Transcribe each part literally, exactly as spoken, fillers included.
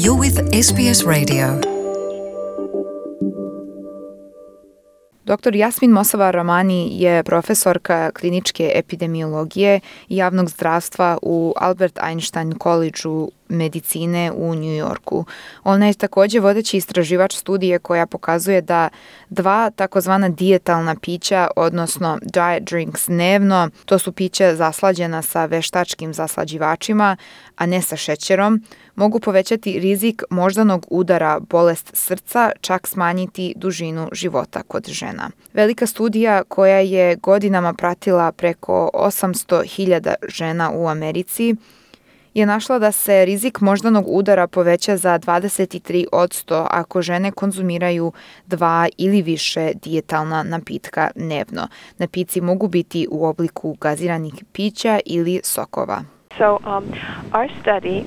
You're with S B S Radio. doktor Jasmin Mossavar-Rahmani je profesorka kliničke epidemiologije i javnog zdravstva u Albert Einstein Collegeu medicine u New Yorku. Ona je također vodeći istraživač studije koja pokazuje da dva takozvana dijetalna pića, odnosno diet drinks dnevno, to su pića zaslađena sa veštačkim zaslađivačima, a ne sa šećerom, mogu povećati rizik moždanog udara, bolest srca, čak smanjiti dužinu života kod žena. Velika studija koja je godinama pratila preko osamsto hiljada žena u Americi je našla da se rizik moždanog udara poveća za dvadeset tri posto ako žene konzumiraju dva ili više dijetalna napitka dnevno. Napici mogu biti u obliku gaziranih pića ili sokova. So, um, our study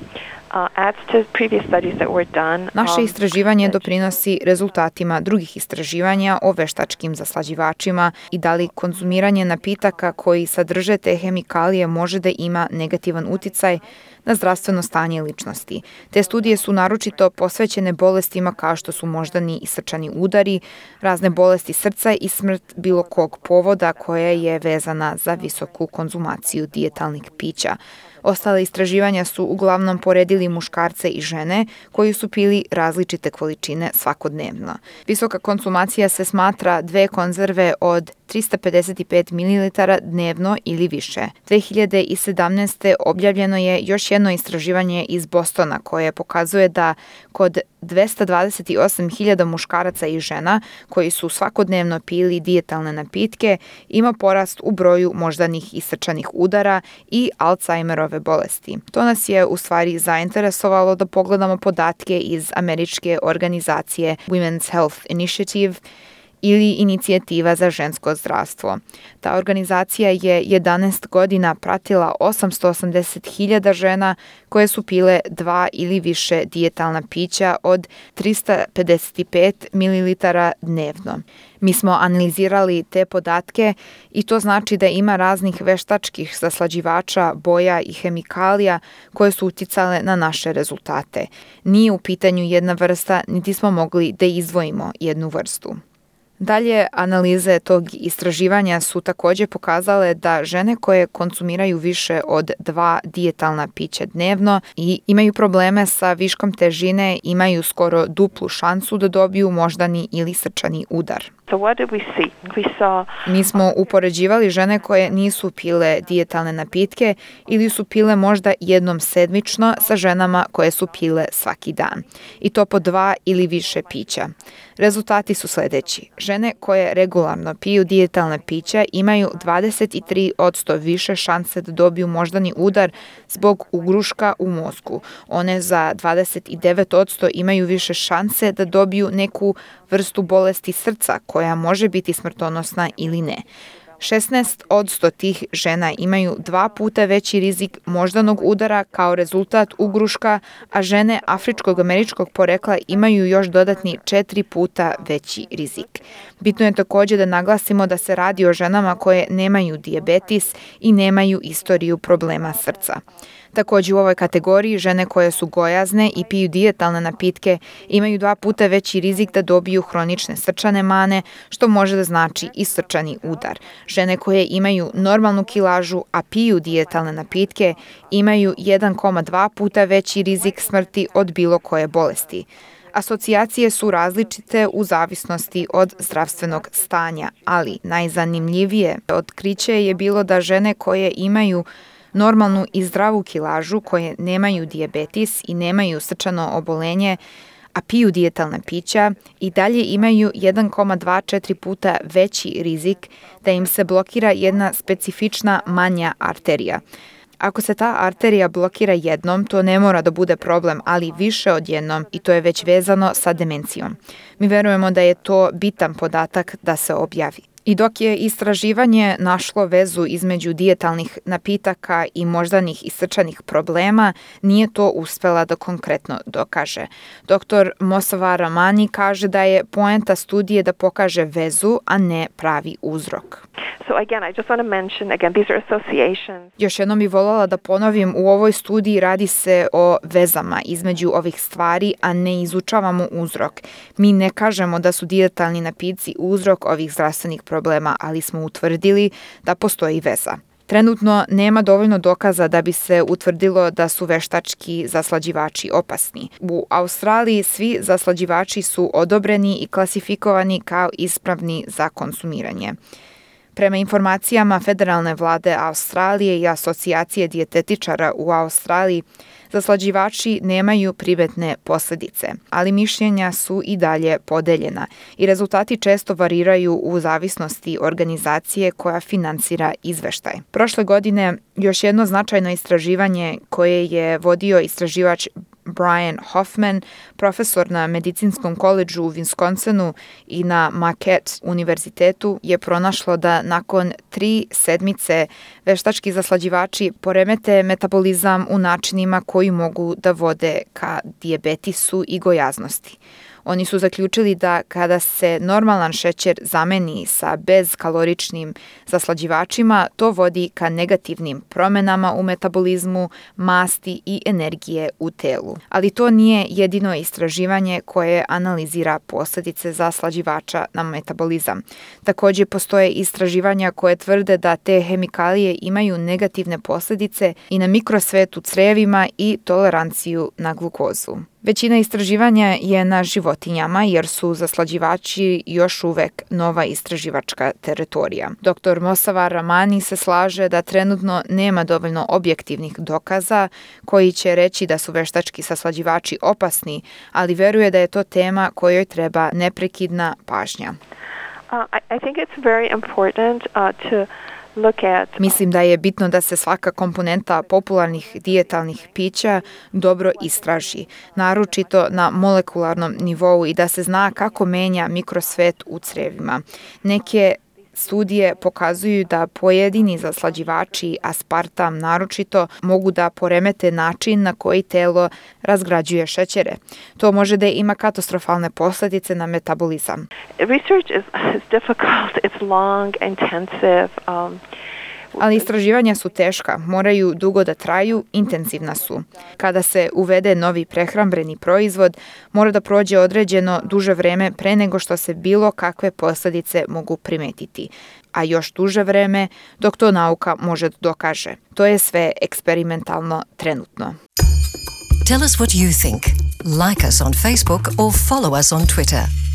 Uh, adds to previous studies that were done. Naše um, istraživanje doprinosi rezultatima drugih istraživanja o veštačkim zaslađivačima i da li konzumiranje napitaka koji sadrže te hemikalije može da ima negativan uticaj na zdravstveno stanje ličnosti. Te studije su naročito posvećene bolestima kao što su moždani i srčani udari, razne bolesti srca i smrt bilo kog povoda koja je vezana za visoku konzumaciju dijetalnih pića. Ostale istraživanja su uglavnom poredili muškarce i žene koji su pili različite količine svakodnevno. Visoka konzumacija se smatra dve konzerve od trista pedeset pet mililitara dnevno ili više. dve hiljade sedamnaeste. objavljeno je još jedno istraživanje iz Bostona koje pokazuje da kod dvesta dvadeset osam hiljada muškaraca i žena koji su svakodnevno pili dijetalne napitke ima porast u broju moždanih i srčanih udara i Alzheimerove bolesti. To nas je u stvari zainteresovalo da pogledamo podatke iz američke organizacije Women's Health Initiative ili Inicijativa za žensko zdravstvo. Ta organizacija je jedanaest godina pratila osamsto osamdeset hiljada žena koje su pile dva ili više dijetalna pića od trista pedeset pet mililitara dnevno. Mi smo analizirali te podatke i to znači da ima raznih veštačkih zaslađivača, boja i hemikalija koje su uticale na naše rezultate. Nije u pitanju jedna vrsta, niti smo mogli da izdvojimo jednu vrstu. Dalje, analize tog istraživanja su također pokazale da žene koje konzumiraju više od dva dijetalna pića dnevno i imaju probleme sa viškom težine imaju skoro duplu šansu da dobiju moždani ili srčani udar. So what did we see? We saw... Mi smo upoređivali žene koje nisu pile dijetalne napitke ili su pile možda jednom sedmično sa ženama koje su pile svaki dan. I to po dva ili više pića. Rezultati su sljedeći. Žene koje regularno piju dijetalne pića imaju dvadeset tri posto više šanse da dobiju moždani udar zbog ugruška u mozgu. One za dvadeset devet posto imaju više šanse da dobiju neku vrstu bolesti srca koja može biti smrtonosna ili ne. šesnaest posto tih žena imaju dva puta veći rizik moždanog udara kao rezultat ugruška, a žene afričkog američkog porekla imaju još dodatni četiri puta veći rizik. Bitno je također da naglasimo da se radi o ženama koje nemaju dijabetes i nemaju istoriju problema srca. Također u ovoj kategoriji žene koje su gojazne i piju dijetalne napitke imaju dva puta veći rizik da dobiju hronične srčane mane, što može da znači i srčani udar. Žene koje imaju normalnu kilažu, a piju dijetalne napitke, imaju jedan zarez dva puta veći rizik smrti od bilo koje bolesti. Asocijacije su različite u zavisnosti od zdravstvenog stanja, ali najzanimljivije otkriće je bilo da žene koje imaju normalnu i zdravu kilažu, koje nemaju dijabetes i nemaju srčano obolenje, a piju dijetalna pića, i dalje imaju jedan zarez dvadeset četiri puta veći rizik da im se blokira jedna specifična manja arterija. Ako se ta arterija blokira jednom, to ne mora da bude problem, ali više od jednom i to je već vezano sa demencijom. Mi verujemo da je to bitan podatak da se objavi. I dok je istraživanje našlo vezu između dijetalnih napitaka i moždanih i srčanih problema, nije to uspela da konkretno dokaže. doktor Mossavar Rahmani kaže da je poenta studije da pokaže vezu, a ne pravi uzrok. So again, I just want to mention, again, these are associations. Još jednom bih voljela da ponovim, u ovoj studiji radi se o vezama između ovih stvari, a ne izučavamo uzrok. Mi ne kažemo da su dijetalni napici uzrok ovih zdravstvenih problema, ali smo utvrdili da postoji veza. Trenutno nema dovoljno dokaza da bi se utvrdilo da su veštački zaslađivači opasni. U Australiji svi zaslađivači su odobreni i klasifikovani kao ispravni za konsumiranje. Prema informacijama federalne vlade Australije i asocijacije dijetetičara u Australiji, zaslađivači nemaju primetne posljedice, ali mišljenja su i dalje podeljena i rezultati često variraju u zavisnosti organizacije koja finansira izveštaj. Prošle godine još jedno značajno istraživanje koje je vodio istraživač Brian Hoffman, profesor na medicinskom koledžu u Wisconsinu i na Marquette univerzitetu, je pronašlo da nakon tri sedmice veštački zaslađivači poremete metabolizam u načinima koji mogu da vode ka dijabetisu i gojaznosti. Oni su zaključili da kada se normalan šećer zameni sa bezkaloričnim zaslađivačima, to vodi ka negativnim promjenama u metabolizmu, masti i energije u telu. Ali to nije jedino istraživanje koje analizira posljedice zaslađivača na metabolizam. Također postoje istraživanja koje tvrde da te hemikalije imaju negativne posljedice i na mikrosvet u crevima i toleranciju na glukozu. Većina istraživanja je na životinjama jer su zaslađivači još uvek nova istraživačka teritorija. doktor Mossavar Rahmani se slaže da trenutno nema dovoljno objektivnih dokaza koji će reći da su veštački zaslađivači opasni, ali veruje da je to tema kojoj treba neprekidna pažnja. Uh, I, I think it's very important uh, to Mislim da je bitno da se svaka komponenta popularnih dijetalnih pića dobro istraži, naročito na molekularnom nivou i da se zna kako menja mikrosvet u crevima. Neke studije pokazuju da pojedini zaslađivači, aspartam naročito, mogu da poremete način na koji telo razgrađuje šećere. To može da ima katastrofalne posljedice na metabolizam. Research is, is difficult, it's long, intensive. Um, Ali istraživanja su teška, moraju dugo da traju, intenzivna su. Kada se uvede novi prehrambeni proizvod, mora da prođe određeno duže vreme pre nego što se bilo kakve posljedice mogu primetiti, a još duže vreme dok to nauka može da dokaže. To je sve eksperimentalno trenutno. Tell us what you think. Like us on Facebook or follow us on Twitter.